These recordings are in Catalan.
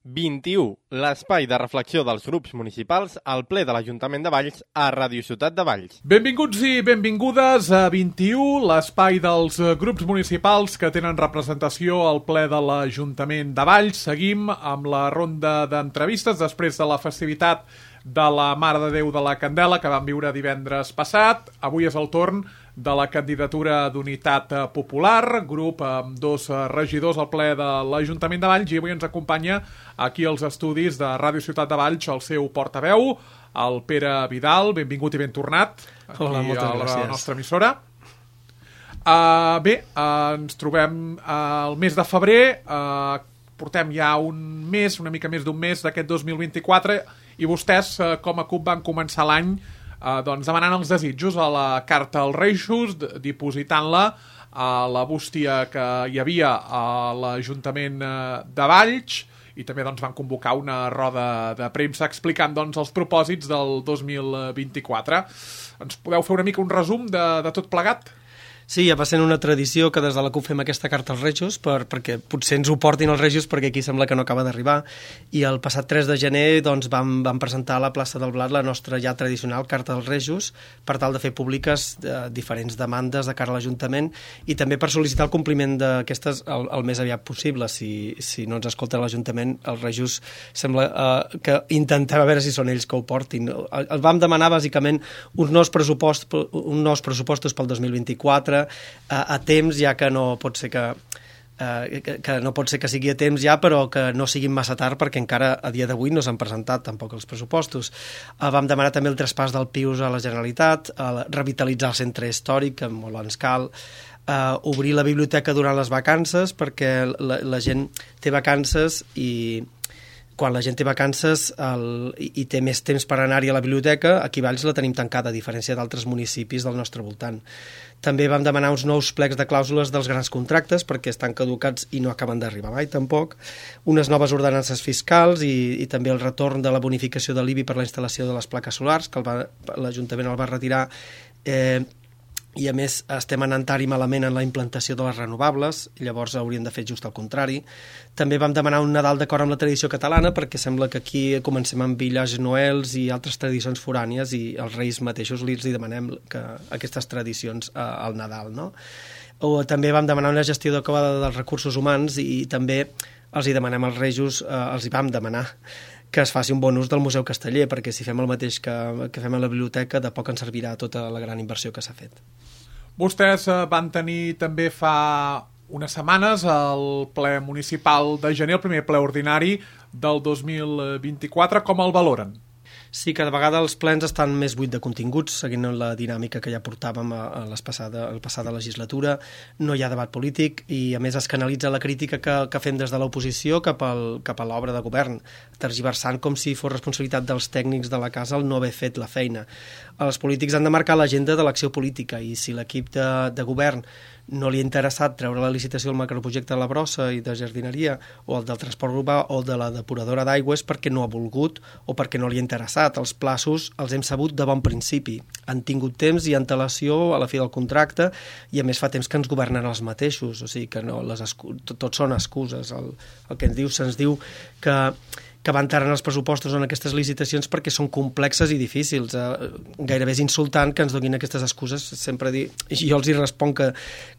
21, l'espai de reflexió dels grups municipals al ple de l'Ajuntament de Valls a Ràdio Ciutat de Valls. Benvinguts i benvingudes a 21, l'espai dels grups municipals que tenen representació al ple de l'Ajuntament de Valls. Seguim amb la ronda d'entrevistes després de la festivitat de la Mare de Déu de la Candela que vam viure divendres passat. Avui és el torn de la candidatura d'Unitat Popular, grup amb dos regidors al ple de l'Ajuntament de Valls, i avui ens acompanya aquí als estudis de Ràdio Ciutat de Valls el seu portaveu, el Pere Vidal. Benvingut i ben tornat aquí. Hola, moltes gràcies. A la nostra emissora. Ens trobem al mes de febrer, portem ja un mes, una mica més d'un mes d'aquest 2024, i vostès com a CUP van començar l'any demanant els desitjos a la Carta als Reis, dipositant-la a la bústia que hi havia a l'Ajuntament de Valls, i també van convocar una roda de premsa explicant els propòsits del 2024. Ens podeu fer una mica un resum de tot plegat? Sí, ja va sent una tradició que des de la CUP fem aquesta carta als Rejos perquè potser ens ho portin els Rejos perquè aquí sembla que no acaba d'arribar, i el passat 3 de gener vam presentar a la plaça del Blat la nostra ja tradicional carta als Rejos per tal de fer públiques diferents demandes de cara a l'Ajuntament i també per sol·licitar el compliment d'aquestes el més aviat possible. Si no ens escolta l'Ajuntament, els Rejos sembla que intentem a veure si són ells que ho portin. El vam demanar bàsicament uns nous pressupostos pel 2024 a temps, ja que no pot ser que sigui a temps ja, però que no siguin massa tard perquè encara a dia d'avui no s'han presentat tampoc els pressupostos. Vam demanar també el traspàs del Pius a la Generalitat, revitalitzar el centre històric, que molt ens cal, obrir la biblioteca durant les vacances perquè la gent té vacances i quan la gent té vacances i té més temps per anar-hi a la biblioteca, aquí a Valls la tenim tancada, a diferència d'altres municipis del nostre voltant. També vam demanar uns nous plecs de clàusules dels grans contractes perquè estan caducats i no acaben d'arribar mai tampoc, unes noves ordenances fiscals i també el retorn de la bonificació de l'IBI per la instal·lació de les plaques solars, que l'Ajuntament el va retirar, i a més estem anant tard i malament en la implantació de les renovables, i llavors hauríem de fer just el contrari. També vam demanar un Nadal d'acord amb la tradició catalana perquè sembla que aquí comencem amb Village Noels i altres tradicions forànies i els Reis mateixos li demanem que aquestes tradicions al Nadal, no? O també vam demanar una gestió adequada dels recursos humans i també els hi demanem als Rejos, els hi vam demanar que es faci un bon ús del Museu Casteller, perquè si fem el mateix que fem a la biblioteca, de poc ens servirà tota la gran inversió que s'ha fet. Vostès van tenir també fa unes setmanes el ple municipal de gener, el primer ple ordinari del 2024. Com el valoren? Sí, cada vegada els plens estan més buits de continguts, seguint la dinàmica que ja portàvem a la passada legislatura. No hi ha debat polític i, a més, es canalitza la crítica que fem des de l'oposició cap a l'obra de govern, tergiversant com si fos responsabilitat dels tècnics de la casa el no haver fet la feina. Els polítics han de marcar l'agenda de l'acció política i si l'equip de govern no li ha interessat treure la licitació del macroprojecte de la brossa i de jardineria o el del transport urbà o de la depuradora d'aigües perquè no ha volgut o perquè no li ha interessat. Els plaços els hem sabut de bon principi. Han tingut temps i antelació a la fi del contracte i a més fa temps que ens governen els mateixos, o sigui que no, tot són excuses. El que se'ns diu que van tard en els pressupostos o en aquestes licitacions perquè són complexes i difícils. Gairebé és insultant que ens donin aquestes excuses. Sempre jo els hi responc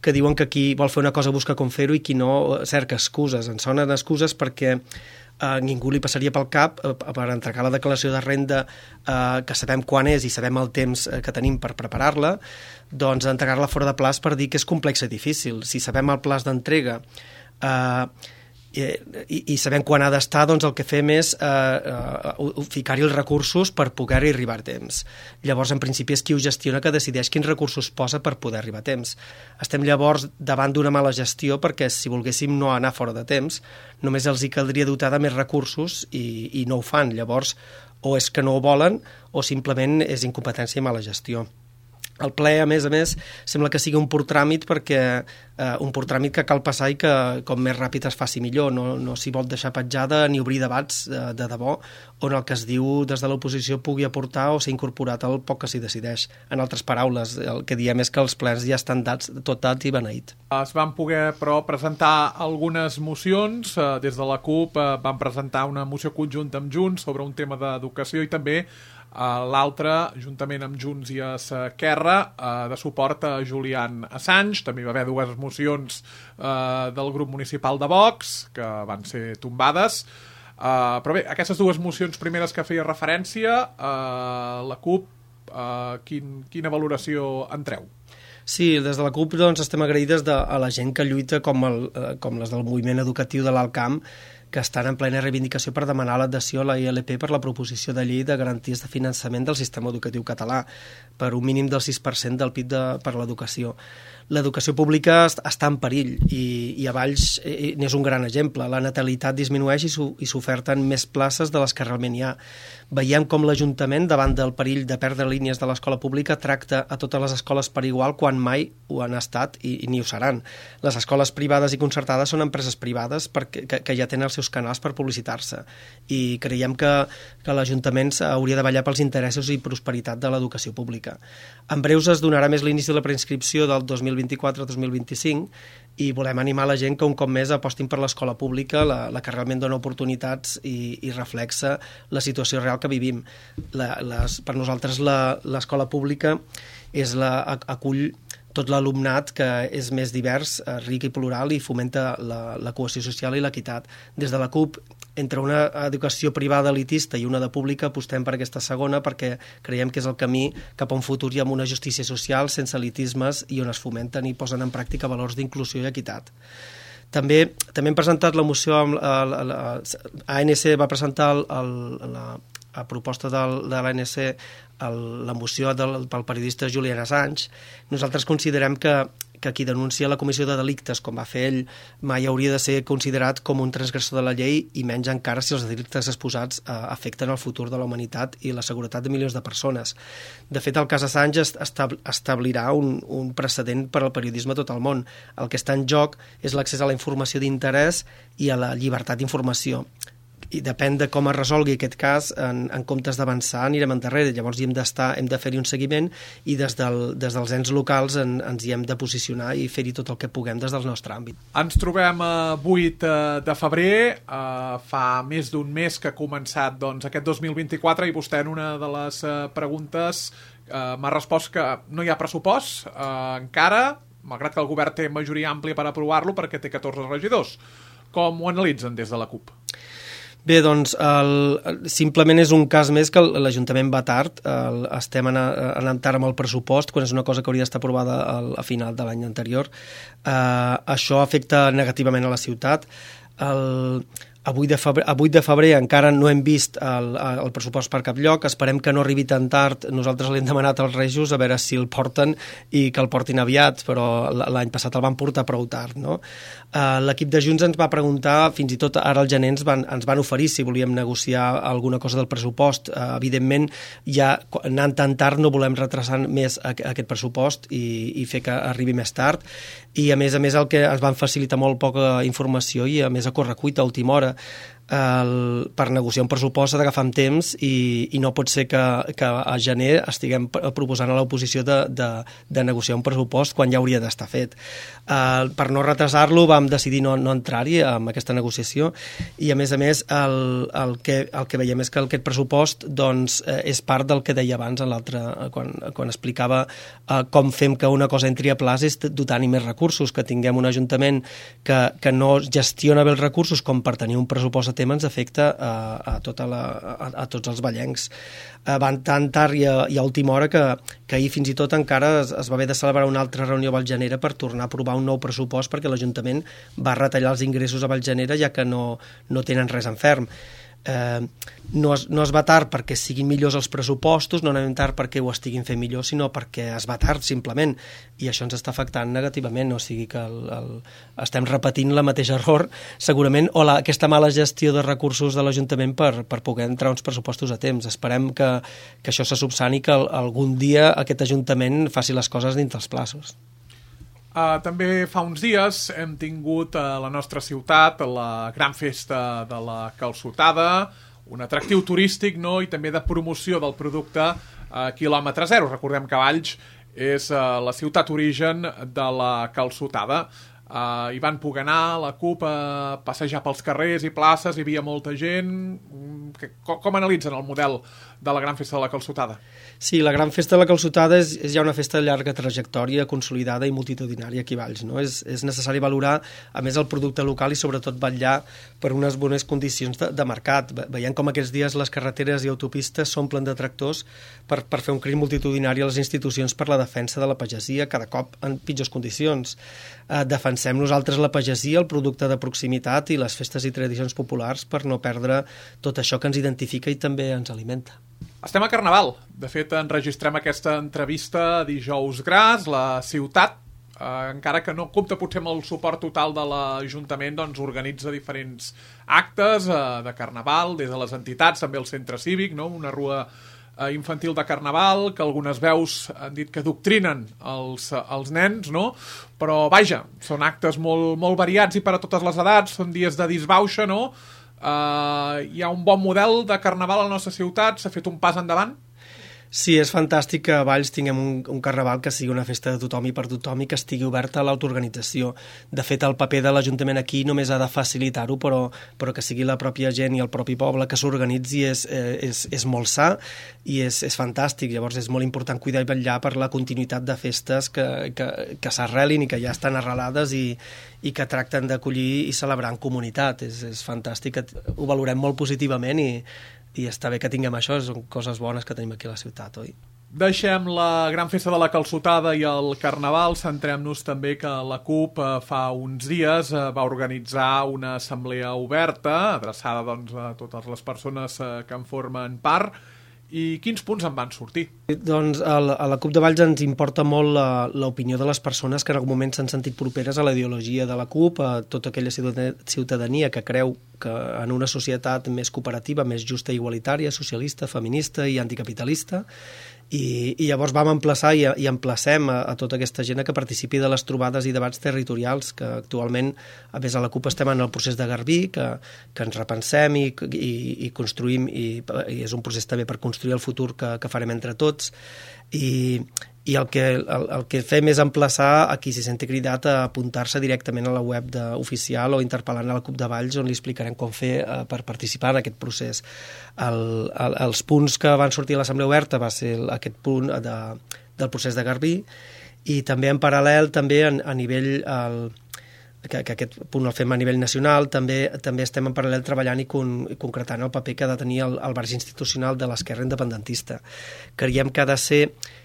que diuen que qui vol fer una cosa busca com fer-ho i qui no cerca excuses. Ens sonen excuses perquè ningú li passaria pel cap per entregar la declaració de renda que sabem quan és i sabem el temps que tenim per preparar-la, doncs entregar-la fora de plaç per dir que és complex i difícil. Si sabem el plaç d'entrega i sabem quan ha d'estar, doncs el que fem és ficar-hi els recursos per poder-hi arribar a temps. Llavors, en principi, és qui ho gestiona que decideix quins recursos posa per poder arribar a temps. Estem llavors davant d'una mala gestió perquè si volguéssim no anar fora de temps, només els hi caldria dotar de més recursos i no ho fan. Llavors, o és que no ho volen o simplement és incompetència i mala gestió. El ple, a més, sembla que sigui un pur tràmit perquè un pur tràmit que cal passar i que com més ràpid es faci millor. No s'hi vol deixar petjada ni obrir debats de debò on el que es diu des de l'oposició pugui aportar o ser incorporat al poc que s'hi decideix. En altres paraules, el que diem és que els plens ja estan tot dat i beneït. Es van poder, però, presentar algunes mocions. Des de la CUP van presentar una moció conjunta amb Junts sobre un tema d'educació i també l'altre, juntament amb Junts i Esquerra, de suport a Julian Assange. També hi va haver dues mocions del grup municipal de Vox, que van ser tombades. Però bé, aquestes dues mocions primeres que feia referència, la CUP, quina valoració en treu? Sí, des de la CUP doncs, estem agraïdes a la gent que lluita com les del moviment educatiu de l'Alt Camp, que estan en plena reivindicació per demanar l'adhesió a la ILP per la proposició de llei de garanties de finançament del sistema educatiu català per un mínim del 6% del PIB per l'educació. L'educació pública està en perill i a Valls n'és un gran exemple. La natalitat disminueix i s'oferten més places de les que realment hi ha. Veiem com l'Ajuntament, davant del perill de perdre línies de l'escola pública, tracta a totes les escoles per igual quan mai ho han estat i ni ho seran. Les escoles privades i concertades són empreses privades que ja tenen els seus canals per publicitar-se i creiem que l'Ajuntament hauria de vetllar pels interessos i prosperitat de l'educació pública. En breus es donarà més l'inici de la preinscripció del 2024-2025 i volem animar la gent que un cop més apostin per l'escola pública, la que realment dona oportunitats i reflexa la situació real que vivim. Per nosaltres l'escola pública acull tot l'alumnat que és més divers, ric i plural i fomenta la cohesió social i l'equitat. Des de la CUP, entre una educació privada elitista i una de pública, apostem per aquesta segona perquè creiem que és el camí cap a un futur i amb una justícia social sense elitismes i on es fomenten i posen en pràctica valors d'inclusió i equitat. També hem presentat la moció, ANC va presentar a proposta de l'ANC la moció pel periodista Julian Assange. Nosaltres considerem que qui denuncia la comissió de delictes, com va fer ell, mai hauria de ser considerat com un transgressor de la llei i menys encara si els delictes exposats afecten el futur de la humanitat i la seguretat de milions de persones. De fet, el cas Assange establirà un precedent per al periodisme a tot el món. El que està en joc és l'accés a la informació d'interès i a la llibertat d'informació. I depèn de com es resolgui aquest cas, en comptes d'avançar anirem endarrere. Llavors hem de fer-hi un seguiment i des dels ens locals ens hi hem de posicionar i fer-hi tot el que puguem des del nostre àmbit. Ens trobem a 8 de febrer, fa més d'un mes que ha començat aquest 2024 i vostè en una de les preguntes m'ha respost que no hi ha pressupost encara, malgrat que el govern té majoria àmplia per aprovar-lo perquè té 14 regidors. Com ho analitzen des de la CUP? Bé, doncs, simplement és un cas més que l'Ajuntament va tard. Estem anant tard amb el pressupost, quan és una cosa que hauria d'estar aprovada a final de l'any anterior. Això afecta negativament a la ciutat. A 8 de febrer encara no hem vist el pressupost per cap lloc, esperem que no arribi tan tard. Nosaltres l'hem demanat als Rejos a veure si el porten i que el portin aviat, però l'any passat el van portar prou tard, no? L'equip de Junts ens va preguntar, fins i tot ara al gener ens van oferir si volíem negociar alguna cosa del pressupost. Evidentment, ja anant tan tard no volem retrasar més aquest pressupost i fer que arribi més tard, i a més el que ens van facilitar molt poca informació i a més a correcuita a última hora. Per negociar un pressupost s'ha d'agafar amb temps i no pot ser que a gener estiguem proposant a l'oposició de negociar un pressupost quan ja hauria d'estar fet. Per no retrasar-lo vam decidir no entrar-hi amb aquesta negociació i a més el que veiem és que aquest pressupost és part del que deia abans quan explicava com fem que una cosa entri a plaç és dotant-hi més recursos, que tinguem un ajuntament que no gestiona bé els recursos com per tenir un pressupost a tema ens afecta a tots els vallencs. Van tan tard i a última hora que ahir fins i tot encara es va haver de celebrar una altra reunió a Vallgenera per tornar a aprovar un nou pressupost perquè l'Ajuntament va retallar els ingressos a Vallgenera ja que no tenen res en ferm. no es va tard perquè siguin millors els pressupostos, no anem tard perquè ho estiguin fent millor, sinó perquè es va tard, simplement, i això ens està afectant negativament, o sigui que estem repetint el mateix error, segurament, o aquesta mala gestió de recursos de l'Ajuntament per poder entrar uns pressupostos a temps. Esperem que això se subsani, que algun dia aquest Ajuntament faci les coses dins dels plaços. També fa uns dies hem tingut a la nostra ciutat la gran festa de la calçotada, un atractiu turístic, no? I també de promoció del producte quilòmetre zero. Recordem que Valls és la ciutat origen de la calçotada. Hi van poder anar la CUP a passejar pels carrers i places, hi havia molta gent. Com analitzen el model de la gran festa de la calçotada? Sí, la gran festa de la calçotada és ja una festa de llarga trajectòria, consolidada i multitudinària aquí a Valls, no? És necessari valorar, a més, el producte local i sobretot vetllar per unes bones condicions de mercat. Veiem com aquests dies les carreteres i autopistes s'omplen de tractors per fer un crit multitudinari a les institucions per la defensa de la pagesia, cada cop en pitjors condicions. Defensem nosaltres la pagesia, el producte de proximitat i les festes i tradicions populars per no perdre tot això que ens identifica i també ens alimenta. Estem a Carnaval. De fet, enregistrem aquesta entrevista dijous gras. La ciutat, encara que no compta potser amb el suport total de l'Ajuntament, doncs organitza diferents actes de Carnaval, des de les entitats, també el centre cívic, no? Una rua infantil de Carnaval, que algunes veus han dit que adoctrinen els nens, no? Però, vaja, són actes molt, molt variats i per a totes les edats, són dies de disbauxa, no? Hi ha un bon model de Carnaval a la nostra ciutat, s'ha fet un pas endavant? Sí, és fantàstic que a Valls tinguem un Carnaval que sigui una festa de tothom i per tothom i que estigui oberta a l'autoorganització. De fet, el paper de l'Ajuntament aquí només ha de facilitar-ho, però que sigui la pròpia gent i el propi poble que s'organitzi és molt sa i és fantàstic. Llavors és molt important cuidar i vetllar per la continuïtat de festes que s'arrelin i que ja estan arrelades i que tracten d'acollir i celebrar en comunitat. És fantàstic, ho valorem molt positivament i està bé que tinguem això, són coses bones que tenim aquí a la ciutat, oi? Deixem la gran festa de la calçotada i el Carnaval, centrem-nos també que la CUP fa uns dies va organitzar una assemblea oberta, adreçada doncs, a totes les persones que en formen part. I quins punts en van sortir? Doncs a la CUP de Valls ens importa molt l'opinió de les persones que en algun moment s'han sentit properes a la ideologia de la CUP, a tota aquella ciutadania que creu que en una societat més cooperativa, més justa i igualitària, socialista, feminista i anticapitalista, i llavors vam emplaçar i emplacem a tota aquesta gent que participi de les trobades i debats territorials, que actualment, a més a la CUP estem en el procés de Garbí, que ens repensem i construïm, i és un procés també per construir el futur que farem entre tots, i el que fem és emplaçar a qui s'hi senti cridat a apuntar-se directament a la web oficial o interpel·lant a la CUP de Valls, on li explicarem com fer per participar en aquest procés. Els punts que van sortir a l'Assemblea Oberta va ser aquest punt del procés de Garbí, i també en paral·lel també a nivell que aquest punt el fem a nivell nacional, també estem en paral·lel treballant i concretant el paper que ha de tenir el barri institucional de l'esquerra independentista. Creiem que ha de ser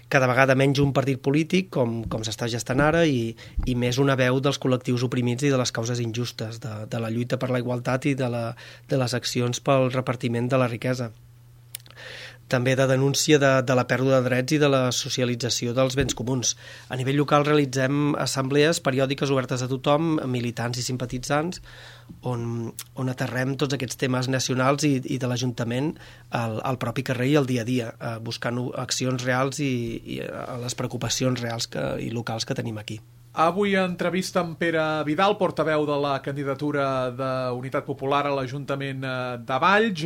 cada vegada menys un partit polític, com s'està gestant ara, i més una veu dels col·lectius oprimits i de les causes injustes, de la lluita per la igualtat i de les accions pel repartiment de la riquesa. També de denúncia de la pèrdua de drets i de la socialització dels béns comuns. A nivell local realitzem assemblees periòdiques obertes a tothom, militants i simpatitzants, on aterrem tots aquests temes nacionals i de l'Ajuntament al propi carrer i al dia a dia, buscant accions reals i les preocupacions reals i locals que tenim aquí. Avui entrevista amb Pere Vidal, portaveu de la candidatura d'Unitat Popular a l'Ajuntament de Valls.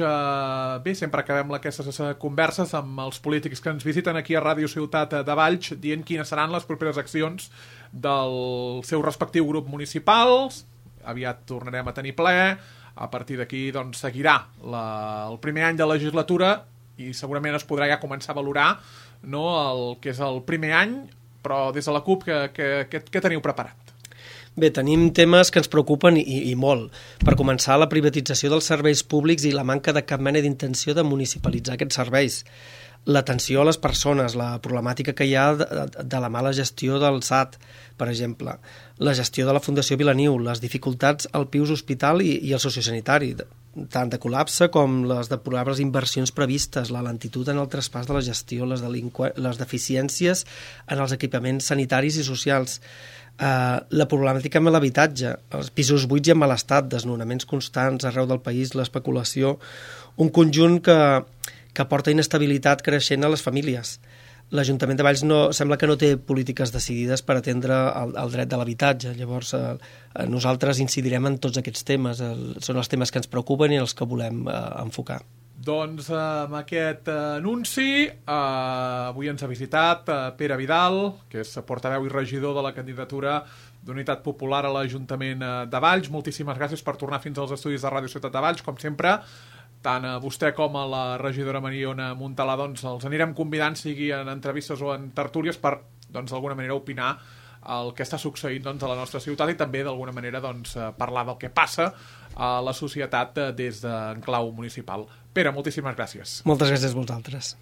Bé, sempre acabem aquestes converses amb els polítics que ens visiten aquí a Ràdio Ciutat de Valls, dient quines seran les properes accions del seu respectiu grup municipal. Aviat tornarem a tenir ple. A partir d'aquí doncs, seguirà el primer any de legislatura i segurament es podrà ja començar a valorar, no, el que és el primer any, però des de la CUP què teniu preparat? Bé, tenim temes que ens preocupen i molt. Per començar, la privatització dels serveis públics i la manca de cap mena d'intenció de municipalitzar aquests serveis. l'atenció a les persones, la problemàtica que hi ha de la mala gestió del SAT, per exemple, la gestió de la Fundació Vilaniu, les dificultats al Pius Hospital i el sociosanitari, tant de col·lapse com les deplorables inversions previstes, la lentitud en el traspàs de la gestió, les deficiències en els equipaments sanitaris i socials, la problemàtica amb l'habitatge, els pisos buits i en mal estat, desnonaments constants arreu del país, l'especulació, un conjunt que porta inestabilitat creixent a les famílies. L'Ajuntament de Valls sembla que no té polítiques decidides per atendre el dret de l'habitatge. Llavors, nosaltres incidirem en tots aquests temes. Són els temes que ens preocupen i els que volem enfocar. Doncs amb aquest anunci avui ens ha visitat Pere Vidal, que és portaveu i regidor de la candidatura d'Unitat Popular a l'Ajuntament de Valls. Moltíssimes gràcies per tornar fins als estudis de Ràdio Ciutat de Valls, com sempre. Tant a vostè com a la regidora Mariona Montalà doncs els anirem convidant, sigui en entrevistes o en tertúlies, per d'alguna manera opinar el que està succeint a la nostra ciutat i també d'alguna manera parlar del que passa a la societat des d'en clau municipal. Pere, moltíssimes gràcies. Moltes gràcies a vosaltres.